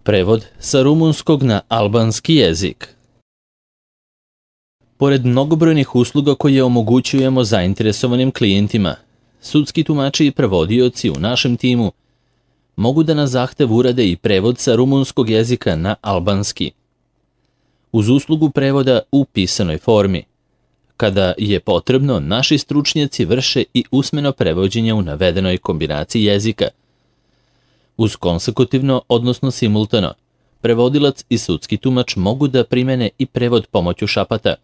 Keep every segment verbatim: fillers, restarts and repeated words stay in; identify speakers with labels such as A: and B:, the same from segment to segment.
A: Prevod sa rumunskog na albanski jezik. Pored mnogobrojnih usluga koje omogućujemo zainteresovanim klijentima, sudski tumači i prevodioci u našem timu mogu da na zahtev urade i prevod sa rumunskog jezika na albanski. Uz uslugu prevoda u pisanoj formi. Kada je potrebno, naši stručnjaci vrše i usmeno prevođenje u navedenoj kombinaciji jezika. Uz konsekutivno, odnosno simultano, prevodilac i sudski tumač mogu da primene i prevod pomoću šapata,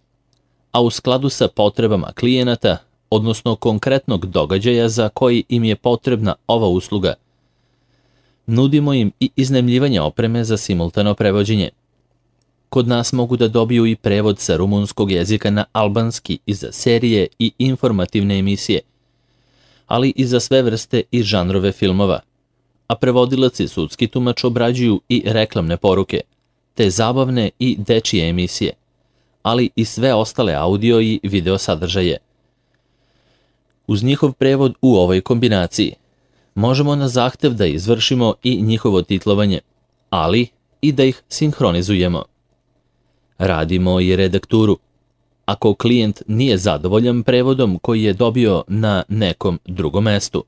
A: a u skladu sa potrebama klijenata, odnosno konkretnog događaja za koji im je potrebna ova usluga. Nudimo im i iznajmljivanje opreme za simultano prevođenje. Kod nas mogu da dobiju i prevod sa rumunskog jezika na albanski i za serije i informativne emisije, ali i za sve vrste i žanrove filmova, a prevodilac i sudski tumač obrađuju i reklamne poruke, te zabavne i dečije emisije, ali i sve ostale audio i video sadržaje. Uz njihov prevod u ovoj kombinaciji možemo na zahtev da izvršimo i njihovo titlovanje, ali i da ih sinhronizujemo. Radimo i redakturu. Ako klijent nije zadovoljan prevodom koji je dobio na nekom drugom mestu.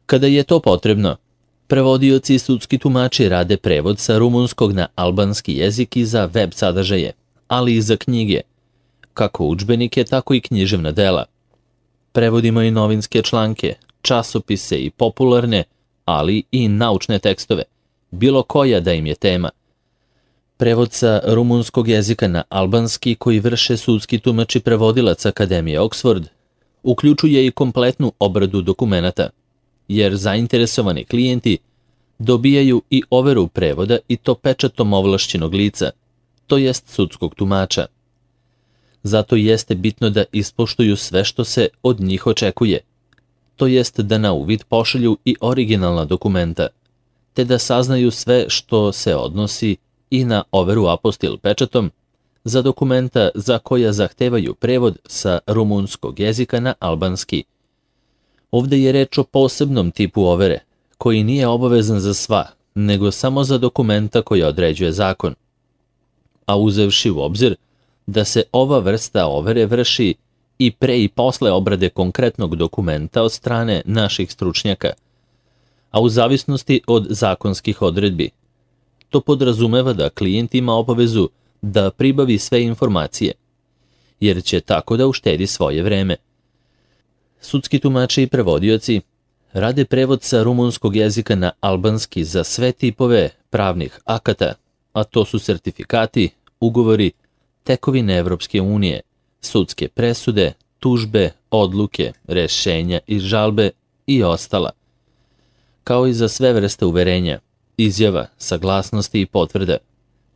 A: Kada je to potrebno, prevodioci i sudski tumači rade prevod sa rumunskog na albanski jezik i za web sadržaje, ali i za knjige, kako udžbenike, tako i književna dela. Prevodimo i novinske članke, časopise i popularne, ali i naučne tekstove, bilo koja da im je tema. Prevod sa rumunskog jezika na albanski koji vrše sudski tumači prevodilac Akademije Oxford uključuje i kompletnu obradu dokumenata, jer zainteresovani klijenti dobijaju i overu prevoda i to pečatom ovlašćenog lica, to jest sudskog tumača. Zato jeste bitno da ispoštuju sve što se od njih očekuje, to jest da na uvid pošalju i originalna dokumenta, te da saznaju sve što se odnosi i na overu apostil pečatom za dokumenta za koja zahtevaju prevod sa rumunskog jezika na albanski. Ovde je reč o posebnom tipu overe, koji nije obavezan za sva, nego samo za dokumenta koja određuje zakon. A uzevši u obzir da se ova vrsta overe vrši i pre i posle obrade konkretnog dokumenta od strane naših stručnjaka, a u zavisnosti od zakonskih odredbi. To podrazumeva da klijent ima obavezu da pribavi sve informacije, jer će tako da uštedi svoje vreme. Sudski tumači i prevodioci rade prevod sa rumunskog jezika na albanski za sve tipove pravnih akata, a to su sertifikati, ugovori, tekovine Evropske unije, sudske presude, tužbe, odluke, rešenja i žalbe i ostala, kao i za sve vrste uverenja, izjava, saglasnosti i potvrda,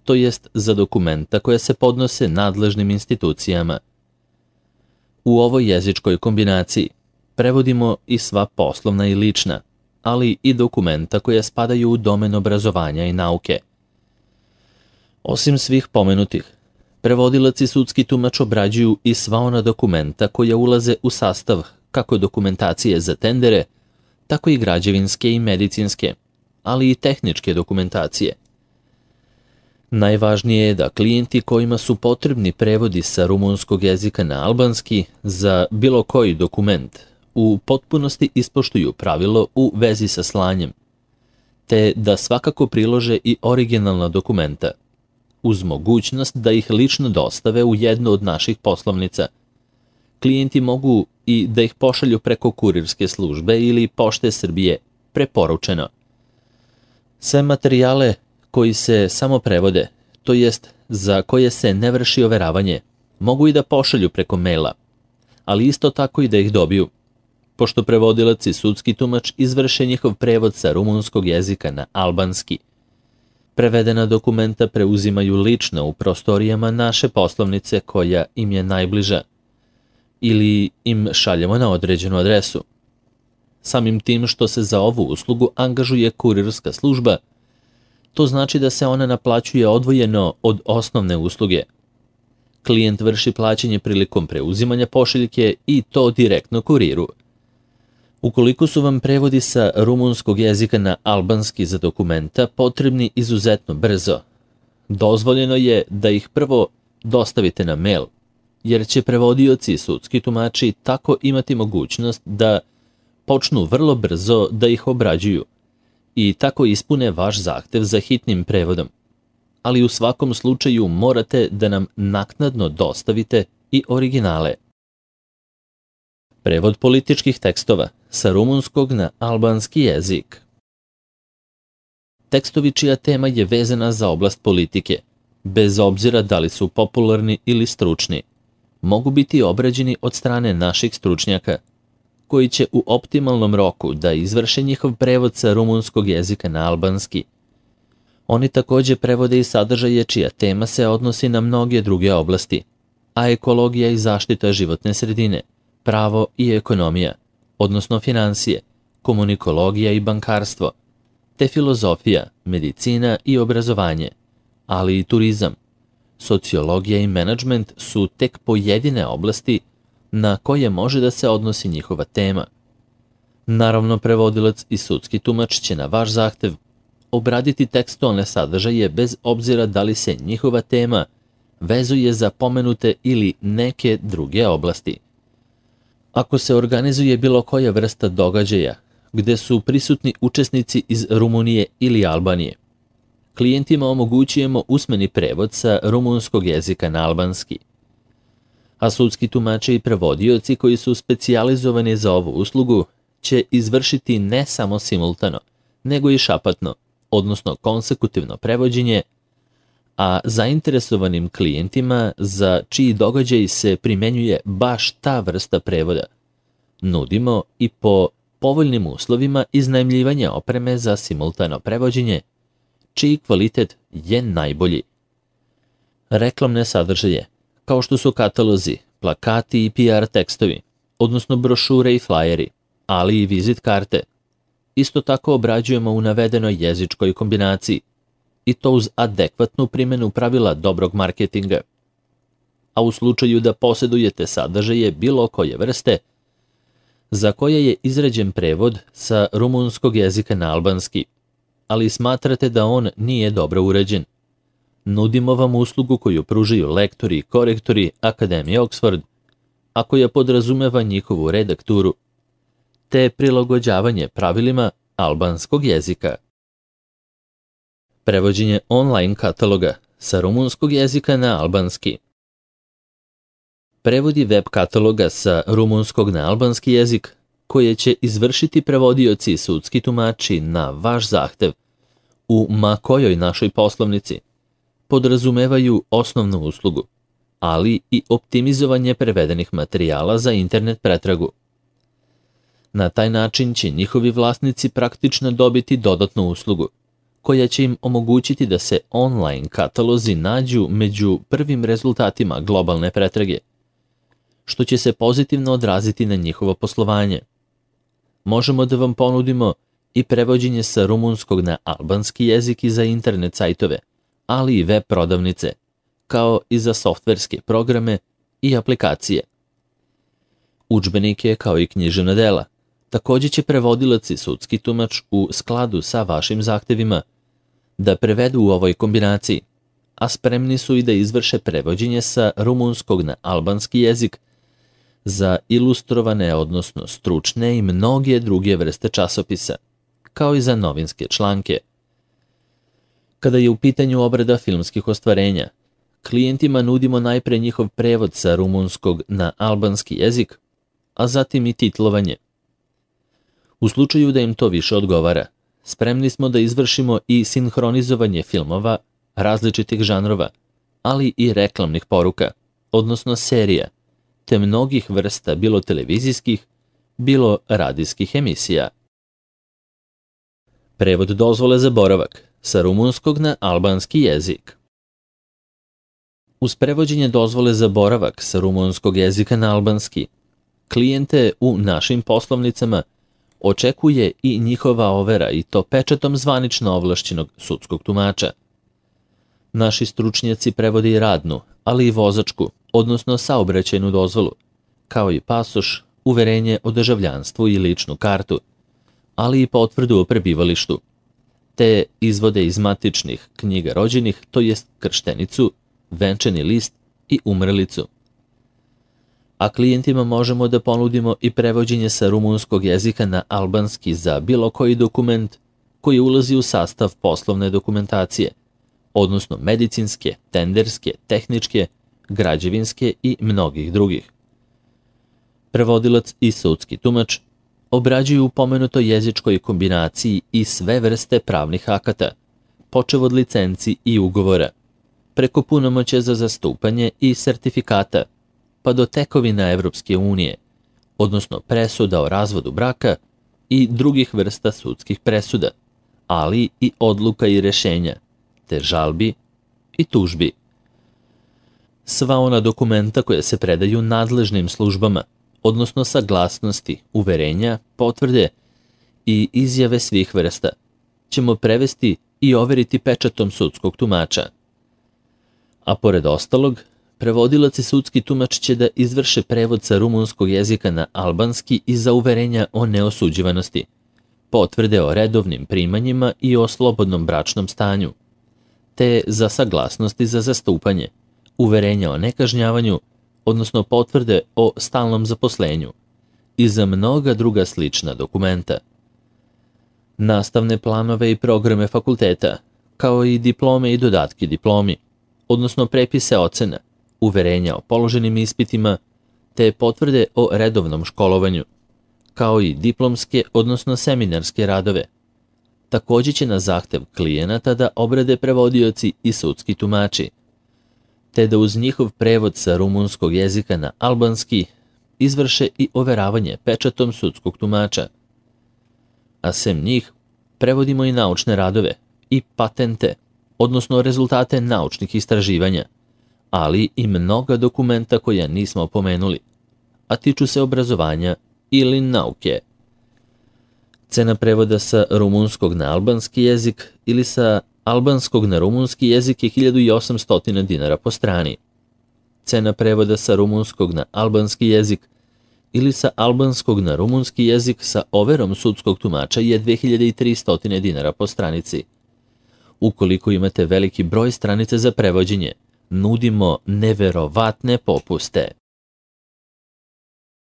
A: to jest za dokumenta koja se podnose nadležnim institucijama. U ovoj jezičkoj kombinaciji prevodimo i sva poslovna i lična, ali i dokumenta koja spadaju u domen obrazovanja i nauke. Osim svih pomenutih, prevodilac i sudski tumač obrađuju i sva ona dokumenta koja ulaze u sastav kako dokumentacije za tendere, tako i građevinske i medicinske, ali i tehničke dokumentacije. Najvažnije je da klijenti kojima su potrebni prevodi sa rumunskog jezika na albanski za bilo koji dokument u potpunosti ispoštuju pravilo u vezi sa slanjem, te da svakako prilože i originalna dokumenta, uz mogućnost da ih lično dostave u jednu od naših poslovnica. Klijenti mogu i da ih pošalju preko kurirske službe ili Pošte Srbije, preporučeno. Sve materijale koji se samo prevode, to jest za koje se ne vrši overavanje, mogu i da pošalju preko maila, ali isto tako i da ih dobiju, pošto prevodilac i sudski tumač izvrše njihov prevod sa rumunskog jezika na albanski. Prevedena dokumenta preuzimaju lično u prostorijama naše poslovnice koja im je najbliža, ili im šaljemo na određenu adresu. Samim tim što se za ovu uslugu angažuje kurirska služba, to znači da se ona naplaćuje odvojeno od osnovne usluge. Klijent vrši plaćanje prilikom preuzimanja pošiljke i to direktno kuriru. Ukoliko su vam prevodi sa rumunskog jezika na albanski za dokumenta potrebni izuzetno brzo, dozvoljeno je da ih prvo dostavite na mail, jer će prevodioci i sudski tumači tako imati mogućnost da počnu vrlo brzo da ih obrađuju i tako ispune vaš zahtev za hitnim prevodom. Ali u svakom slučaju morate da nam naknadno dostavite i originale. Prevod političkih tekstova sa rumunskog na albanski jezik. Tekstovi čija tema je vezana za oblast politike, bez obzira da li su popularni ili stručni, mogu biti obrađeni od strane naših stručnjaka, koji će u optimalnom roku da izvrše njihov prevod sa rumunskog jezika na albanski. Oni takođe prevode i sadržaje čija tema se odnosi na mnoge druge oblasti, a ekologija i zaštita životne sredine, pravo i ekonomija, odnosno finansije, komunikologija i bankarstvo, te filozofija, medicina i obrazovanje, ali i turizam, sociologija i menadžment su tek pojedine oblasti na koje može da se odnosi njihova tema. Naravno, prevodilac i sudski tumač će na vaš zahtev obraditi tekstualne sadržaje bez obzira da li se njihova tema vezuje za pomenute ili neke druge oblasti. Ako se organizuje bilo koja vrsta događaja gde su prisutni učesnici iz Rumunije ili Albanije, klijentima omogućujemo usmeni prevod sa rumunskog jezika na albanski. A sudski tumači i prevodioci koji su specijalizovani za ovu uslugu će izvršiti ne samo simultano, nego i šapatno, odnosno konsekutivno prevođenje, a zainteresovanim klijentima za čiji događaj se primenjuje baš ta vrsta prevoda nudimo i po povoljnim uslovima iznajmljivanja opreme za simultano prevođenje, čiji kvalitet je najbolji. Reklamne sadržaje, kao što su katalozi, plakati i P R tekstovi, odnosno brošure i flajeri, ali i vizit karte, isto tako obrađujemo u navedenoj jezičkoj kombinaciji, i to uz adekvatnu primjenu pravila dobrog marketinga. A u slučaju da posjedujete sadržaje bilo koje vrste, za koje je izrađen prevod sa rumunskog jezika na albanski, ali smatrate da on nije dobro uređen, nudimo vam uslugu koju pružaju lektori i korektori Akademije Oxford, a koja podrazumeva njihovu redakturu, te prilagođavanje pravilima albanskog jezika. Prevođenje online kataloga sa rumunskog jezika na albanski. Prevodi web kataloga sa rumunskog na albanski jezik, koje će izvršiti prevodioci i sudski tumači na vaš zahtev u ma kojoj našoj poslovnici, podrazumevaju osnovnu uslugu, ali i optimizovanje prevedenih materijala za internet pretragu. Na taj način će njihovi vlasnici praktično dobiti dodatnu uslugu, koja će im omogućiti da se online katalozi nađu među prvim rezultatima globalne pretrage, što će se pozitivno odraziti na njihovo poslovanje. Možemo da vam ponudimo i prevođenje sa rumunskog na albanski jezik i za internet sajtove, ali i web prodavnice, kao i za softverske programe i aplikacije. Udžbenike kao i književna dela takođe će prevodilac i sudski tumač u skladu sa vašim zahtevima da prevedu u ovoj kombinaciji, a spremni su i da izvrše prevođenje sa rumunskog na albanski jezik za ilustrovane, odnosno stručne i mnoge druge vrste časopisa, kao i za novinske članke. Kada je u pitanju obrada filmskih ostvarenja, klijentima nudimo najpre njihov prevod sa rumunskog na albanski jezik, a zatim i titlovanje. U slučaju da im to više odgovara, spremni smo da izvršimo i sinhronizovanje filmova različitih žanrova, ali i reklamnih poruka, odnosno serija, te mnogih vrsta bilo televizijskih, bilo radijskih emisija. Prevod dozvole za boravak sa rumunskog na albanski jezik. Uz prevođenje dozvole za boravak sa rumunskog jezika na albanski, klijente u našim poslovnicama očekuje i njihova overa, i to pečatom zvanično ovlašćenog sudskog tumača. Naši stručnjaci prevode i radnu, ali i vozačku, odnosno saobraćajnu dozvolu, kao i pasoš, uverenje o državljanstvu i ličnu kartu, ali i potvrdu o prebivalištu, te izvode iz matičnih knjiga rođenih, to jest krštenicu, venčani list i umrlicu. A klijentima možemo da ponudimo i prevođenje sa rumunskog jezika na albanski za bilo koji dokument koji ulazi u sastav poslovne dokumentacije, odnosno medicinske, tenderske, tehničke, građevinske i mnogih drugih. Prevodilac i sudski tumač obrađuju u pomenutoj jezičkoj kombinaciji i sve vrste pravnih akata, počev od licenci i ugovora, preko punomoćja za zastupanje i sertifikata, pa do tekovina Evropske unije, odnosno presuda o razvodu braka i drugih vrsta sudskih presuda, ali i odluka i rešenja, te žalbi i tužbi. Sva ona dokumenta koja se predaju nadležnim službama, odnosno saglasnosti, uverenja, potvrde i izjave svih vrsta, ćemo prevesti i overiti pečatom sudskog tumača. A pored ostalog, prevodilac i sudski tumač će da izvrše prevod sa rumunskog jezika na albanski i za uverenja o neosuđivanosti, potvrde o redovnim primanjima i o slobodnom bračnom stanju, te za saglasnosti za zastupanje, uverenja o nekažnjavanju, odnosno potvrde o stalnom zaposlenju i za mnoga druga slična dokumenta. Nastavne planove i programe fakulteta, kao i diplome i dodatki diplomi, odnosno prepise ocena, uverenja o položenim ispitima, te potvrde o redovnom školovanju, kao i diplomske, odnosno seminarske radove. Također će na zahtev klijenata da obrade prevodioci i sudski tumači, te da uz njihov prevod sa rumunskog jezika na albanski izvrše i overavanje pečatom sudskog tumača. A sem njih, prevodimo i naučne radove i patente, odnosno rezultate naučnih istraživanja, ali i mnoga dokumenta koja nismo pomenuli, a tiču se obrazovanja ili nauke. Cena prevoda sa rumunskog na albanski jezik ili sa albanskog na rumunski jezik je hiljadu osamsto dinara po strani. Cena prevoda sa rumunskog na albanski jezik ili sa albanskog na rumunski jezik sa overom sudskog tumača je dve hiljade tristo dinara po stranici. Ukoliko imate veliki broj stranica za prevođenje, nudimo neverovatne popuste.